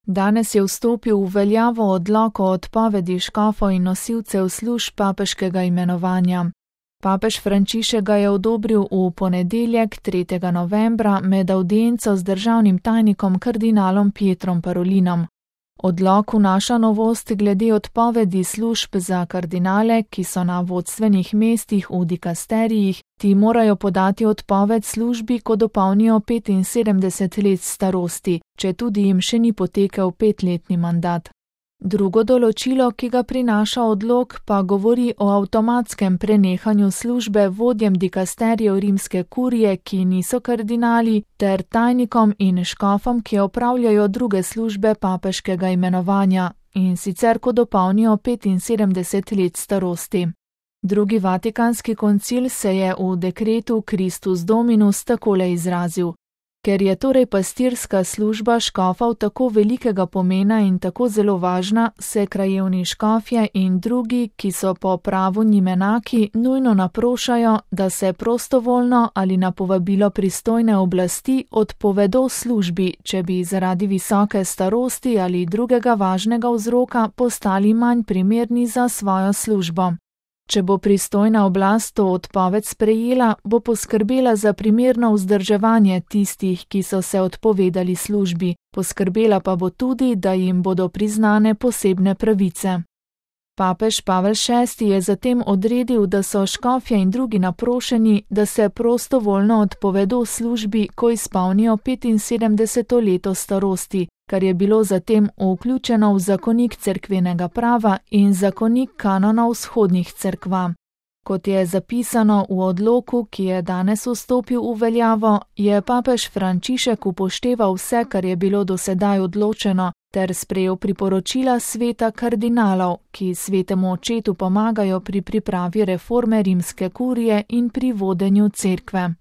Danes je vstopil v veljavo odlok o odpovedi škofov in nosilcev služb papeškega imenovanja. Papež Frančišek ga je odobril v ponedeljek, 3. novembra, med avdienco z državnim tajnikom kardinalom Pietrom Parolinom. Odlok vnaša novost glede odpovedi služb za kardinale, ki so na vodstvenih mestih v dikasterijih. Ti morajo podati odpoved službi, ko dopolnijo 75 let starosti, četudi jim še ni potekel 5-letni mandat. Drugo določilo, ki ga prinaša odlok, pa govori o avtomatskem prenehanju službe vodjem dikasterijev rimske kurije, ki niso kardinali, ter tajnikom in škofom, ki opravljajo druge službe papeškega imenovanja, in sicer ko dopolnijo 75 let starosti. Drugi vatikanski koncil se je v dekretu Christus Dominus takole izrazil: Ker je torej pastirska služba škofov tako velikega pomena in tako zelo važna, se krajevni škofje in drugi, ki so po pravu njim enaki, nujno naprošajo, da se prostovoljno ali na povabilo pristojne oblasti odpovedo službi, če bi zaradi visoke starosti ali drugega važnega vzroka postali manj primerni za svojo službo. Če bo pristojna oblast to odpoved sprejela, bo poskrbela za primerno vzdrževanje tistih, ki so se odpovedali službi, poskrbela pa bo tudi, da jim bodo priznane posebne pravice. Papež Pavel VI je zatem odredil, da so škofje in drugi naprošeni, da se prostovoljno odpovedo službi, ko izpolnijo 75. leto starosti, kar je bilo zatem vključeno v zakonik cerkvenega prava in zakonik kanonov vzhodnih cerkva. Kot je zapisano v odloku, ki je danes vstopil v veljavo, je papež Frančišek upošteval vse, kar je bilo do sedaj odločeno, ter sprejel priporočila sveta kardinalov, ki svetemu očetu pomagajo pri pripravi reforme rimske kurije in pri vodenju cerkve.